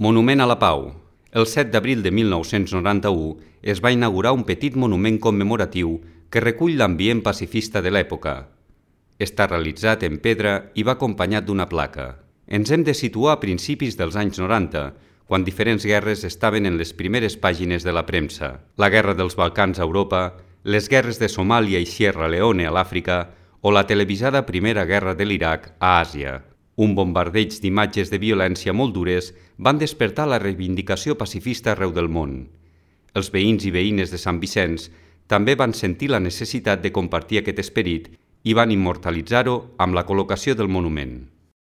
Monument a la Pau. El 7 d'abril de 1991 es va inaugurar un petit monument commemoratiu que recull l'ambient pacifista de l'època. Està realitzat en pedra i va acompanyat d'una placa. Ens hem de situar a principis dels anys 90, quan diferents guerres estaven en les primeres pàgines de la premsa. La guerra dels Balcans a Europa, les guerres de Somàlia i Sierra Leone a l'Àfrica o la televisada Primera Guerra de l'Iraq a Àsia. Un bombardeig d'imatges de violència molt dures van despertar la reivindicació pacifista arreu del món. Els veïns i veïnes de Sant Vicenç també van sentir la necessitat de compartir aquest esperit i van immortalitzar-ho amb la col·locació del monument.